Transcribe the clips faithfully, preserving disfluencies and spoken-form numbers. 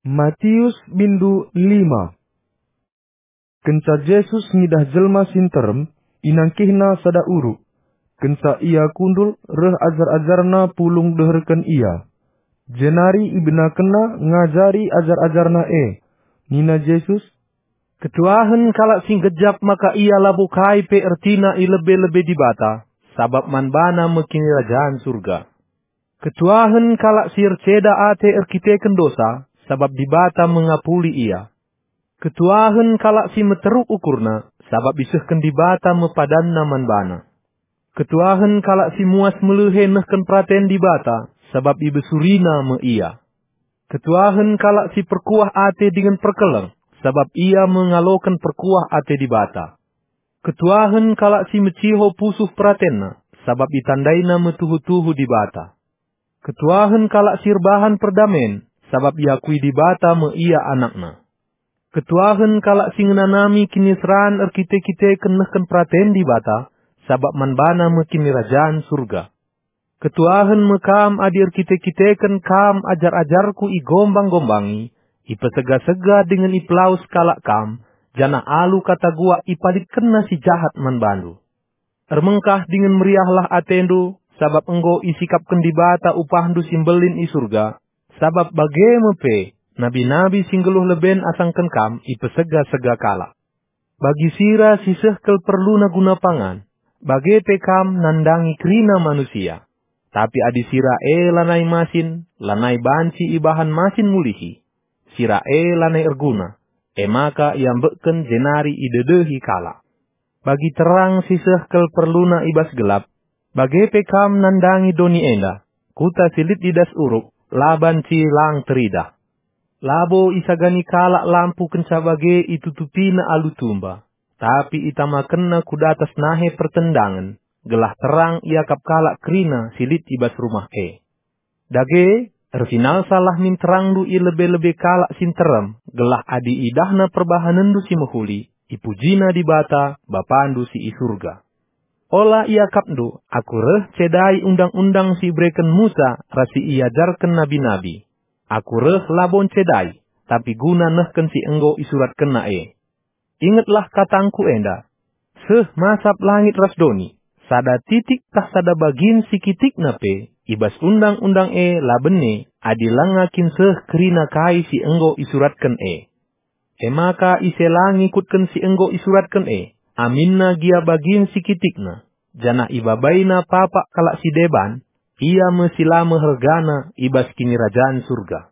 Matius bindu lima. Kenca Jesus ngidah jelma si nterem, inangkihNa sada uruk. Kenca Ia kundul, reh ajar-ajarNa pulung deherken Ia. Jenari ibenakenNa ngajari ajar-ajarNa e. Nina Jesus, "Ketuahen kalak si ngejap maka ia labo kai pe ertina i lebe-lebe Dibata, sabap man bana me Kinirajan Surga. Ketuahen kalak si erceda ate erkiteken dosa, sabap Dibata me ngapuli ia. Ketuahen kalak si meteruk ukurna, sabap isehken Dibata me padanna man bana. Ketuahen kalak si muas melehe nehken peraten Dibata, sabap ibesurina me ia. Ketuahen kalak si perkuah ate dingen perkeleng, sabap ia me ngaloken perkuah ate Dibata. Ketuahen kalak si meciho pusuh peratenna, sabap itandaina me tuhu-tuhu Dibata. Ketuahen kalak si erbahan perdamen, sabap iakui Dibata me ia anakNa. Ketuahen kalak si ngenanami kiniseran erkite-kiteken nehken peraten Dibata, sabap man bana me Kinirajan Surga. Ketuahen me kam adi erkite-kiteken kam ajar-ajarKu igombang-gombangi, ipesega-sega dingen ipelawes kalak kam, janah alu kata guak ipalitkenna si jahat man bandu. Ermengkah dingen meriahlah atendu, sabap enggo isikapken Dibata upahndu si mbelin i Surga, sabap bage me pe nabi-nabi si nggeluh leben asangken kam ipesega-sega kalak. Bagi sira si seh kel perluna guna pangan, bage pe kam nandangi kerina manusia. Tapi adi sira e lanai masin, lanai banci ibahan masin mulihi. Sira e lanai erguna, e maka iambekken jenari idedehi kalak. Bagi terang si seh kel perluna i bas gelap, bage pe kam nandangi doni enda, kuta si lit i das uruk, la banci lang teridah. Labo isagani kalak lampu kenca bage itutupina alu tumba, tapi itamakenna ku datas nahe pertendangen, gelah terang iakap kalak kerina si lit i bas rumah e. Dage, ersinalsalah min terangndu i lebe-lebe kalak si nterem, gelah adi idahna perbahanenndu si mehuli, ipujina Dibata, Bapandu si i Surga. Ola iakapndu, Aku reh cedai undang-undang si ibereken Musa ras si iajarken nabi-nabi. Aku reh labo ncedai, tapi guna nehken si enggo isuratkenna e. Ingetlah katangku enda, seh masap langit ras doni, sada titik tah sada bagin si kitikna pe i bas undang-undang e la bene adi langa kin seh kerina kai si enggo isuratken e. E maka ise la ngikutken si enggo isuratken e, aminna gia bagin si kitikna, janah ibabaina papak kalak si deban, ia me si la mehergana i bas Kinirajan Surga.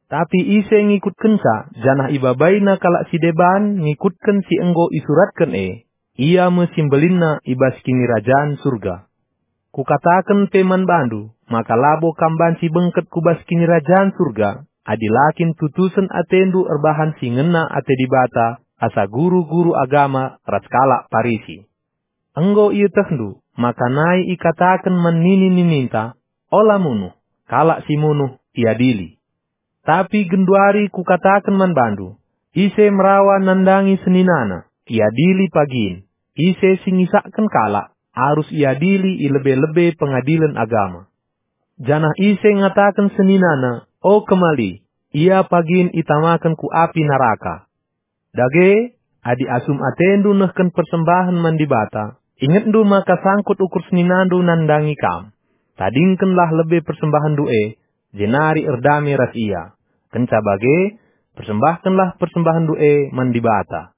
Tapi ise ngikutkenca, janah ibabaina kalak si deban ngikutken si enggo isuratken e, ia me si mbelinna i bas Kinirajan Surga. Kukataken pe man bandu, maka labo kam banci bengket ku bas Kinirajan Surga, adi la kin tutusen atendu erbahan si ngena ate Dibata asa guru-guru agama ras kalak Parisi. Enggo ietehndu maka nai ikataken man nini-nininta, "Ola munuh," kalak si munuh iadili. Tapi genduari kukataken man bandu, ise merawa nandangi seninana, iadili pagin. Ise si ngisakken kalak, arus iadili i lebe-lebe pengadilen agama. Janah ise ngataken seninana, "O kemali," ia pagin itamaken ku api naraka. Dage, adi asum atendu nehken persembahen man Dibata, ingetndu maka sangkut ukur seninandu nandangi kam. Tadingkenlah lebe persembahenndu e, jenari erdame ras ia. Kenca bage, persembahkenlah persembahenndu e man Dibata.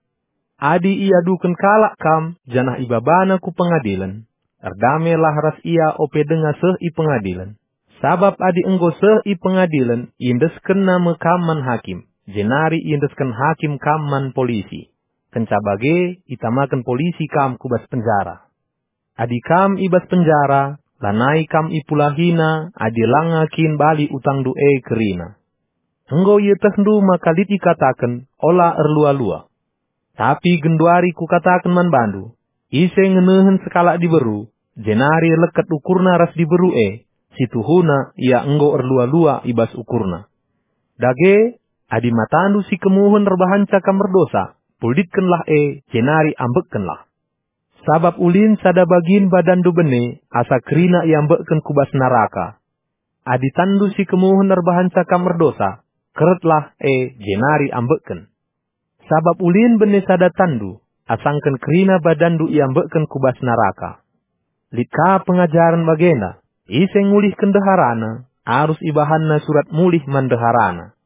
Adi iaduken kalak kam, janah ibabana ku pengadilen, erdamelah ras ia ope denga seh i pengadilen. Sabap adi enggo seh i pengadilen, iendeskenna me kam man hakim, jenari iendesken hakim kam man polisi. Kenca bage, itamaken polisi kam ku bas penjara. Adi kam i bas penjara, lanai kam ipulahina adi langa kin bali utangndu e kerina. Enggo ietehndu maka lit ikataken, "Ola erlua-lua." Tapi genduari kukataken man bandu, ise ngenehen sekalak diberu, jenari leket ukurna ras diberu e, situhuna ia enggo erlua-lua i bas ukurna. Dage, adi matandu si kemuhen erbahanca kam erdosa, pulditkenlah e, jenari ambekkenlah. Sabap ulin sada bagin badanndu bene, asa kerina iambekken ku bas naraka. Adi tanndu si kemuhen erbahanca kam erdosa, keretlah e jenari ambekken. Sabap ulin bene sada tanndu, asangken kerina badanndu iambekken ku bas naraka. Lit ka pengajaren bagenda, ise ngulihken ndeharana, arus ibahanna surat mulih man ndeharana.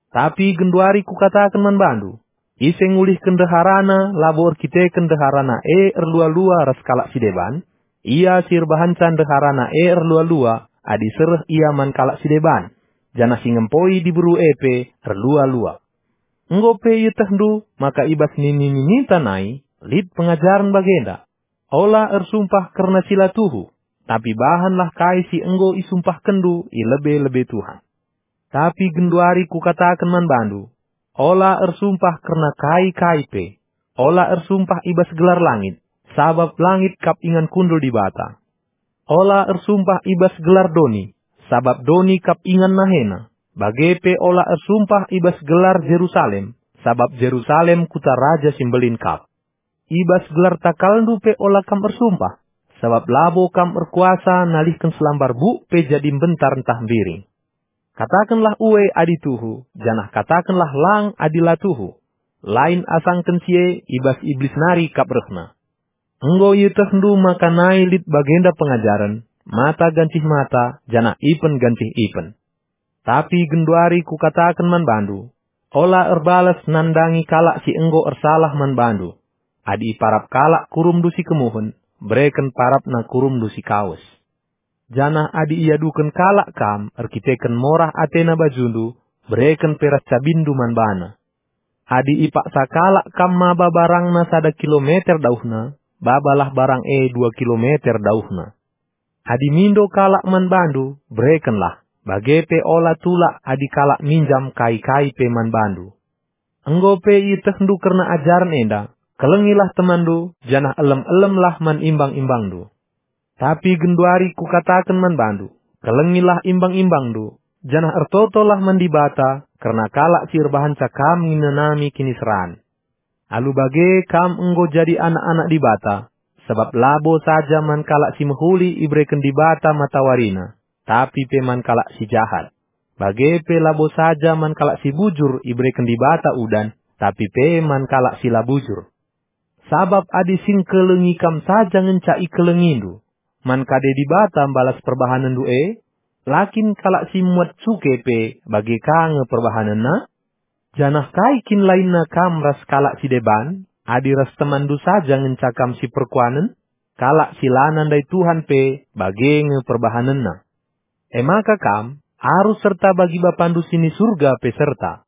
Tapi genduari kukataken man bandu, ise ngulihken ndeharana labo erkiteken ndeharana e erlua-lua ras kalak si deban, ia si erbahanca ndeharana e erlua-lua adi sereh ia man kalak si deban, janah si ngempoi diberu e pe erlua-lua. Enggo pe ietehndu maka i bas nini-nininta nai lit pengajaren bagenda, "Ola ersumpah kerna si la tuhu, tapi bahanlah kai si enggo isumpahkenndu i lebe-lebe Tuhan." Tapi genduari kukataken man bandu, ola ersumpah kerna kai-kai pe, ola ersumpah i bas gelar langit, sabap langit kap ingan kundul Dibata. Ola ersumpah i bas gelar doni, sabap doni kap ingan nahena, bage pe ola ersumpah i bas gelar Jerusalem, sabap Jerusalem kuta Raja si Mbelin kap. I bas gelar takalndu pe ola kam ersumpah, sabap labo kam erkuasa nalihken selambar buk pe jadi mbentar ntah mbiring. Katakenlah ue adi tuhu, janah katakenlah lang adi la tuhu. Lain asangken si e i bas Iblis nari kap rehna. Enggo ietehndu maka nai lit bagenda pengajaren, mata gancih mata, janah ipen gancih ipen. Tapi genduari kukataken man bandu, ola erbalas nandangi kalak si enggo ersalah man bandu. Adi iparap kalak kurumndu si kemuhen, bereken parapna kurumndu si kawes. Janah adi iaduken kalak kam erkiteken morah atena bajundu, bereken pe ras cabinndu man bana. Adi ipaksa kalak kam maba barangna sada kilometer dauhna, babalah barang e dua kilometer dauhna. Adi mindo kalak man bandu, berekenlah, bage pe ola tulak adi kalak minjam kai-kai pe man bandu. Enggo pe ietehndu kerna ajaren enda, kelengilah temanndu, janah elem-elemlah man imbang-imbangndu. Tapi genduari kukataken man bandu, kelengilah imbang-imbangndu, janah ertotolah man Dibata kerna kalak si erbahanca kam ngenanami kiniseran. Alu bage kam enggo jadi anak-anak Dibata, sabap labo saja man kalak si mehuli ibereken Dibata matawarina, tapi pe man kalak si jahat. Bage pe labo saja man kalak si bujur ibereken Dibata udan, tapi pe man kalak si la bujur. Sabap adi si ngkelengi kam saja ngenca ikelengindu, man kade Dibata mbalas perbahanenndu e? La kin kalak si muat cuke pe bage ka nge perbahanenna? Janah kai kin lainna kam ras kalak si deban, adi ras temanndu saja ngenca kam si perkuanen? Kalak si la nandai Tuhan pe bage nge perbahanenna. E maka kam arus serta bagi Bapandu si ni Surga pe serta.